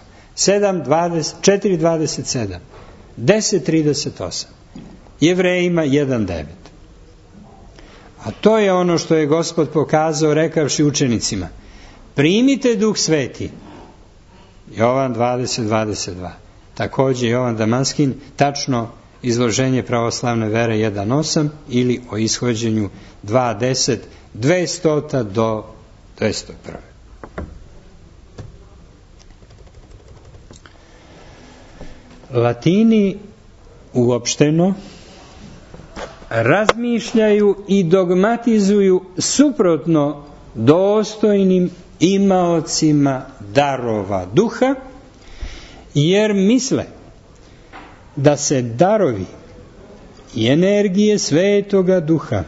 A: četiri dvadeset sedam, deset trideset osam, Jevrejima jedan devet. A to je ono što je Gospod pokazao rekavši učenicima: primite Duh Sveti. Jovan dvadeset dvadeset dva. Takođe Jovan Damaskin, tačno izloženje pravoslavne vere jedan osam ili o ishođenju dva deset, dvesta do dvesta jedan. Latini uopšteno razmišljaju i dogmatizuju suprotno dostojnim imaocima darova duha, jer misle da se darovi i energije Svetoga Duha,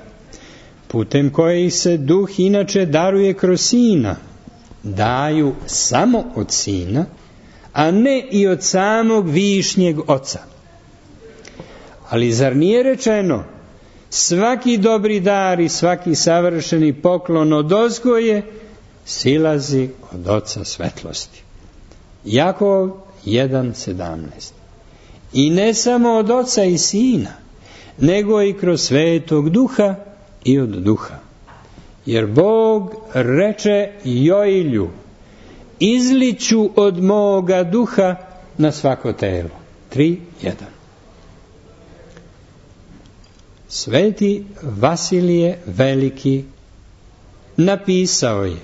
A: putem kojih se Duh inače daruje kroz Sina, daju samo od Sina, a ne i od samog višnjeg Oca. Ali zar nije rečeno, svaki dobri dar i svaki savršeni poklon odozgo je, silazi od Oca svetlosti. Jakov jedan sedamnaest. I ne samo od Oca i Sina, nego i kroz Svetog Duha i od Duha. Jer Bog reče Joilju, izliću od moga duha na svako telo. tri jedan. Sveti Vasilije Veliki napisao je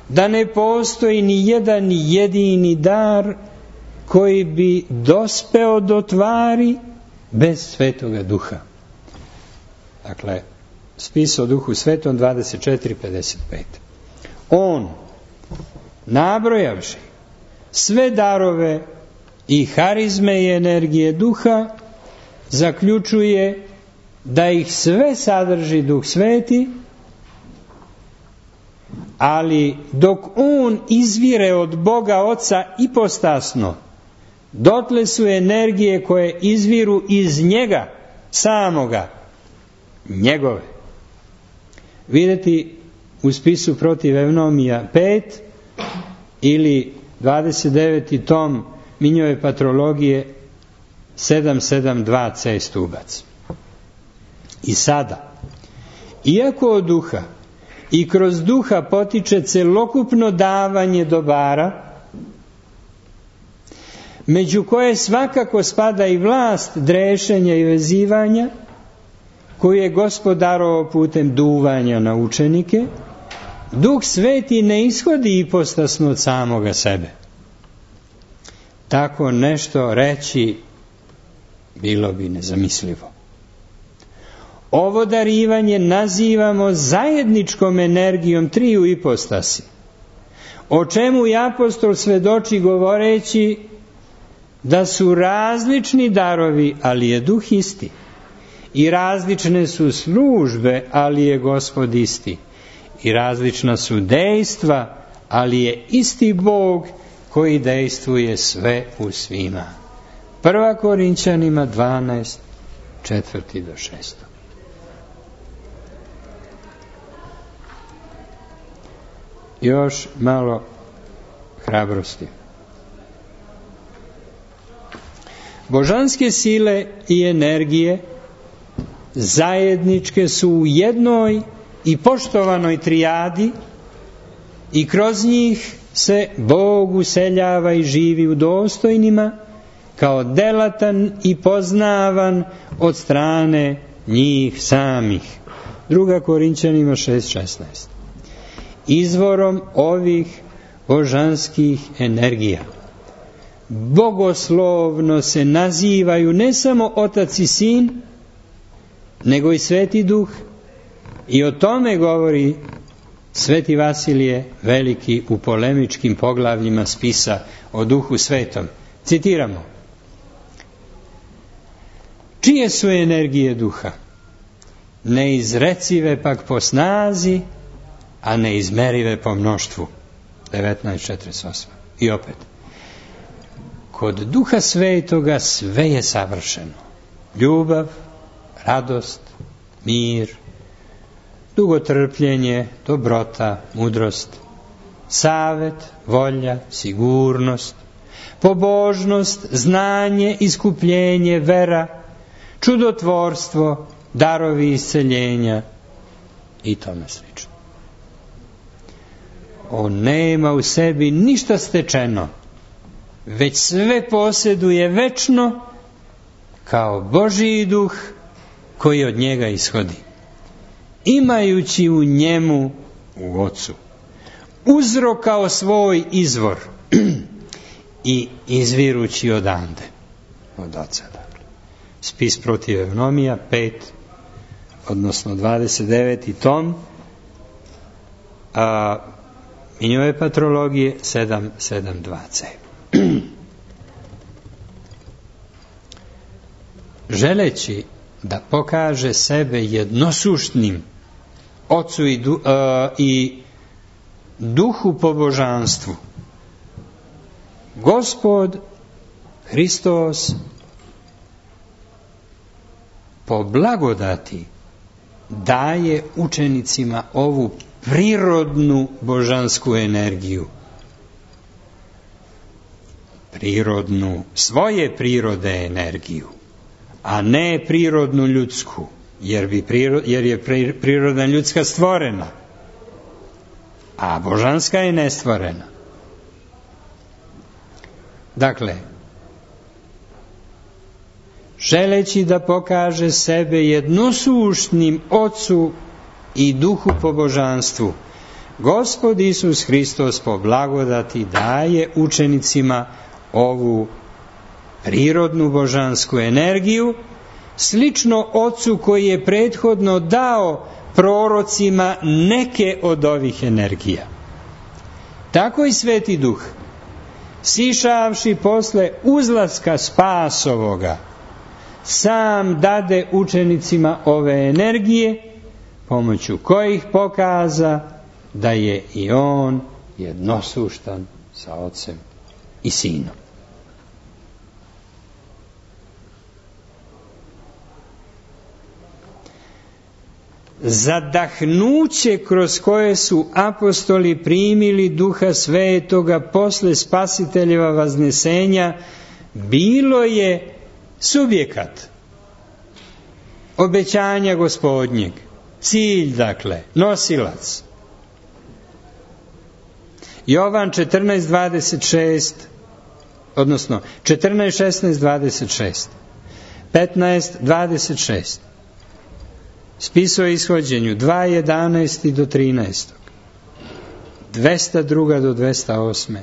A: da ne postoji ni jedan jedini dar koji bi dospeo do tvari bez Svetoga Duha. Dakle, spis o Duhu Svetom dvadeset četiri pedeset pet. On, nabrojavši sve darove i harizme i energije Duha, zaključuje da ih sve sadrži Duh Sveti, ali dok on izvire od Boga Oca ipostasno, dotle su energije koje izviru iz njega samoga, njegove. Vidjeti u spisu protiv Evnomija pet ili dvadeset deveti tom Minjove patrologije sedam sedam dva C stubac. I sada, iako od duha i kroz duha potiče celokupno davanje dobara, među koje svakako spada i vlast drešenja i vezivanja, koju je Gospod darovao putem duvanja na učenike, Duh Sveti ne ishodi ipostasno od samoga sebe. Tako nešto reći bilo bi nezamislivo. Ovo darivanje nazivamo zajedničkom energijom triju ipostasi, o čemu i apostol svedoči govoreći da su različni darovi, ali je Duh isti, i različne su službe, ali je Gospod isti, i različna su dejstva, ali je isti Bog koji dejstvuje sve u svima. Prva Korinćanima dvanaest, četvrti do šestog. Još malo hrabrosti. Božanske sile i energije zajedničke su u jednoj i poštovanoj trijadi i kroz njih se Bog useljava i živi u dostojnima kao delatan i poznavan od strane njih samih. Druga Korinćanima šest šesnaest. Izvorom ovih božanskih energija bogoslovno se nazivaju ne samo Otac i Sin, nego i Sveti Duh, i o tome govori Sveti Vasilije Veliki u polemičkim poglavljima spisa o Duhu Svetom. Citiramo: čije su energije Duha? Neizrecive pak po snazi, a neizmerive po mnoštvu. devetnaest četrdeset osam. I opet, kod Duha Svetoga sve je savršeno. Ljubav, radost, mir, dugotrpljenje, dobrota, mudrost, savet, volja, sigurnost, pobožnost, znanje, iskupljenje, vera, čudotvorstvo, darovi isceljenja i tome slično. On nema u sebi ništa stečeno, već sve posjeduje večno kao Božji Duh koji od njega ishodi, imajući u njemu, u Ocu, uzrok kao svoj izvor i izvirući odande, od Oca. Dakle. Spis protiv Evnomija pet, odnosno dvadeset deveti tom a, Minjove patrologije sedam sedam dva ce. Želeći da pokaže sebe jednosuštnim Ocu i, du, a, i duhu po božanstvu, Gospod Hristos po blagodati daje učenicima ovu prirodnu božansku energiju. Prirodnu, svoje prirode energiju, a ne prirodnu ljudsku, jer, bi prirod, jer je prirodna ljudska stvorena, a božanska je nestvorena. Dakle, želeći da pokaže sebe jednosuštnim Ocu i duhu po božanstvu, Gospod Isus Hristos po blagodati daje učenicima ovu prirodnu božansku energiju, slično Ocu koji je prethodno dao prorocima neke od ovih energija. Tako i Sveti Duh, sišavši posle uzlaska spasovoga, sam dade učenicima ove energije, pomoću kojih pokaza da je i on jednosuštan sa Ocem i Sinom. Zadahnuće kroz koje su apostoli primili Duha Svetoga posle Spasiteljeva vaznesenja bilo je subjekat obećanja Gospodnjeg, cilj, dakle, nosilac. Jovan četrnaest dvadeset šest, odnosno četrnaest šesnaest dvadeset šest, petnaest dvadeset šest, spis o ishođenju dva jedanaest do trinaest, dvesta dva do dvesta osam.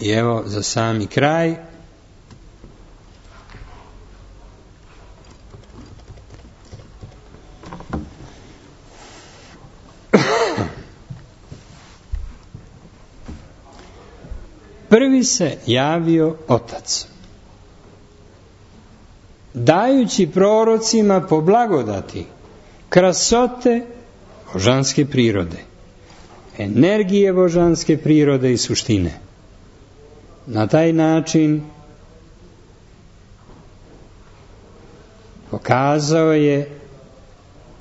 A: I evo za sami kraj, prvi se javio Otac, dajući prorocima po blagodati krasote božanske prirode, energije božanske prirode i suštine. Na taj način pokazao je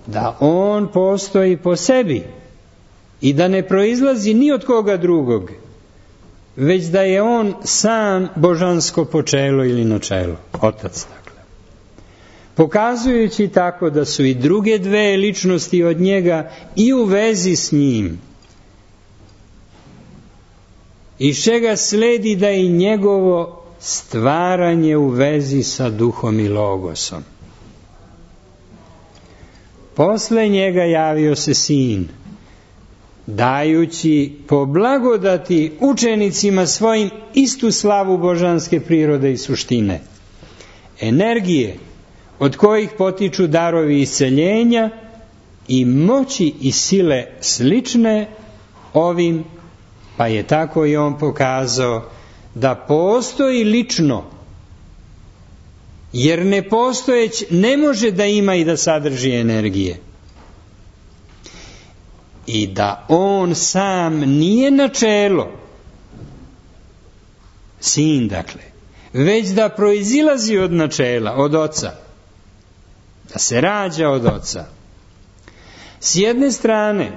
A: da on postoji po sebi i da ne proizlazi ni od koga drugog, već da je on sam božansko počelo ili načelo, Otac, dakle. Pokazujući tako da su i druge dve ličnosti od njega i u vezi s njim, iz čega sledi da i njegovo stvaranje u vezi sa Duhom i Logosom. Posle njega javio se Sin, dajući po blagodati učenicima svojim istu slavu božanske prirode i suštine, energije od kojih potiču darovi isceljenja i moći i sile slične ovim, pa je tako i on pokazao da postoji lično, jer nepostojeć ne može da ima i da sadrži energije. I da on sam nije načelo, Sin, dakle, već da proizilazi od načela, od Oca, da se rađa od Oca. S jedne strane,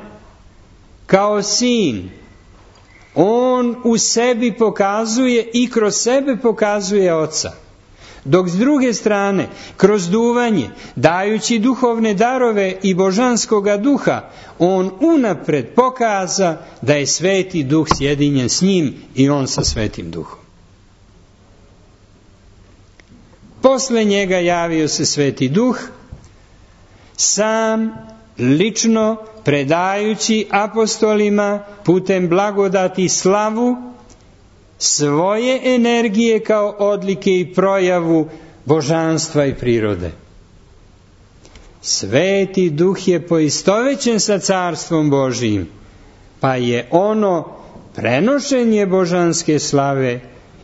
A: kao Sin, on u sebi pokazuje i kroz sebe pokazuje Oca, dok s druge strane, kroz duvanje, dajući duhovne darove i božanskoga duha, on unapred pokaza da je Sveti Duh sjedinjen s njim i on sa Svetim Duhom. Posle njega javio se Sveti Duh, sam lično predajući apostolima putem blagodati slavu svoje energije kao odlike i projavu božanstva i prirode. Sveti Duh je poistovećen sa Carstvom Božijim, pa je ono prenošenje božanske slave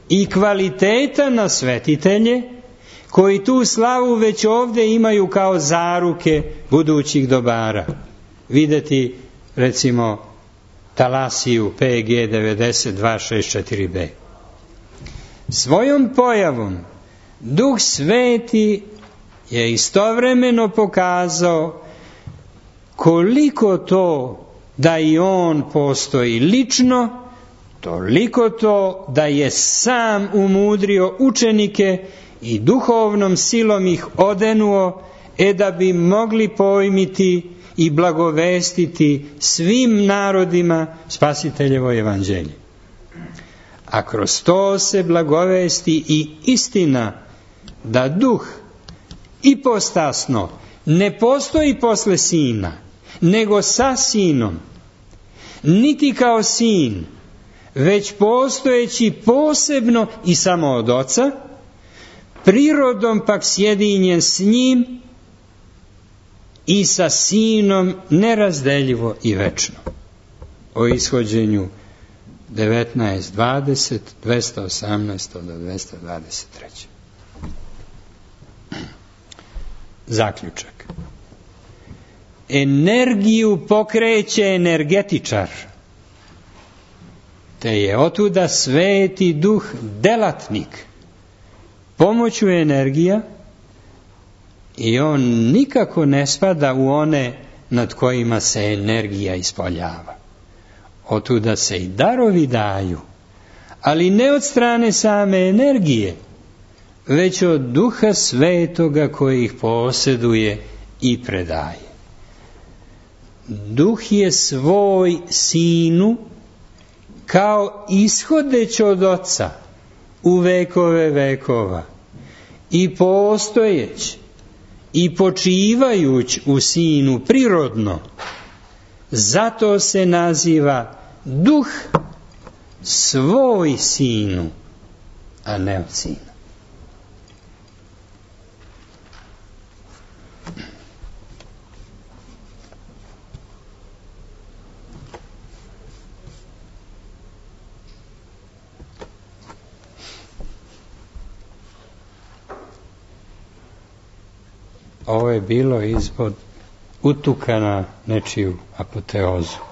A: i kvaliteta na svetitelje, koji tu slavu već ovdje imaju kao zaruke budućih dobara. Videti, recimo, Talasiju P G devedeset dva šezdeset četiri B. Svojom pojavom Duh Sveti je istovremeno pokazao koliko to da i on postoji lično, toliko to da je sam umudrio učenike i duhovnom silom ih odenuo, e da bi mogli pojmiti i blagovestiti svim narodima Spasiteljevo evanđelje. A kroz to se blagovesti i istina da Duh ipostasno ne postoji posle Sina, nego sa Sinom, niti kao Sin, već postojeći posebno i samo od Oca, prirodom pak sjedinjen s njim i sa Sinom nerazdeljivo i večno. O Ishođenju devetnaest dvadeset, dvesta osamnaest do dvesta dvadeset tri. Zaključak. Energiju pokreće energetičar, te je otuda Sveti Duh delatnik pomoću energija, i on nikako ne spada u one nad kojima se energija ispoljava. Otuda se i darovi daju, ali ne od strane same energije, već od Duha Svetoga koji ih posjeduje i predaje. Duh je svoj Sinu kao ishodeć od Oca u vekove vekova i postojeć i počivajuć u Sinu prirodno, zato se naziva Duh svoj Sinu, a ne od Sina. Ovo je bilo ispod utuka na nečiju apoteozu.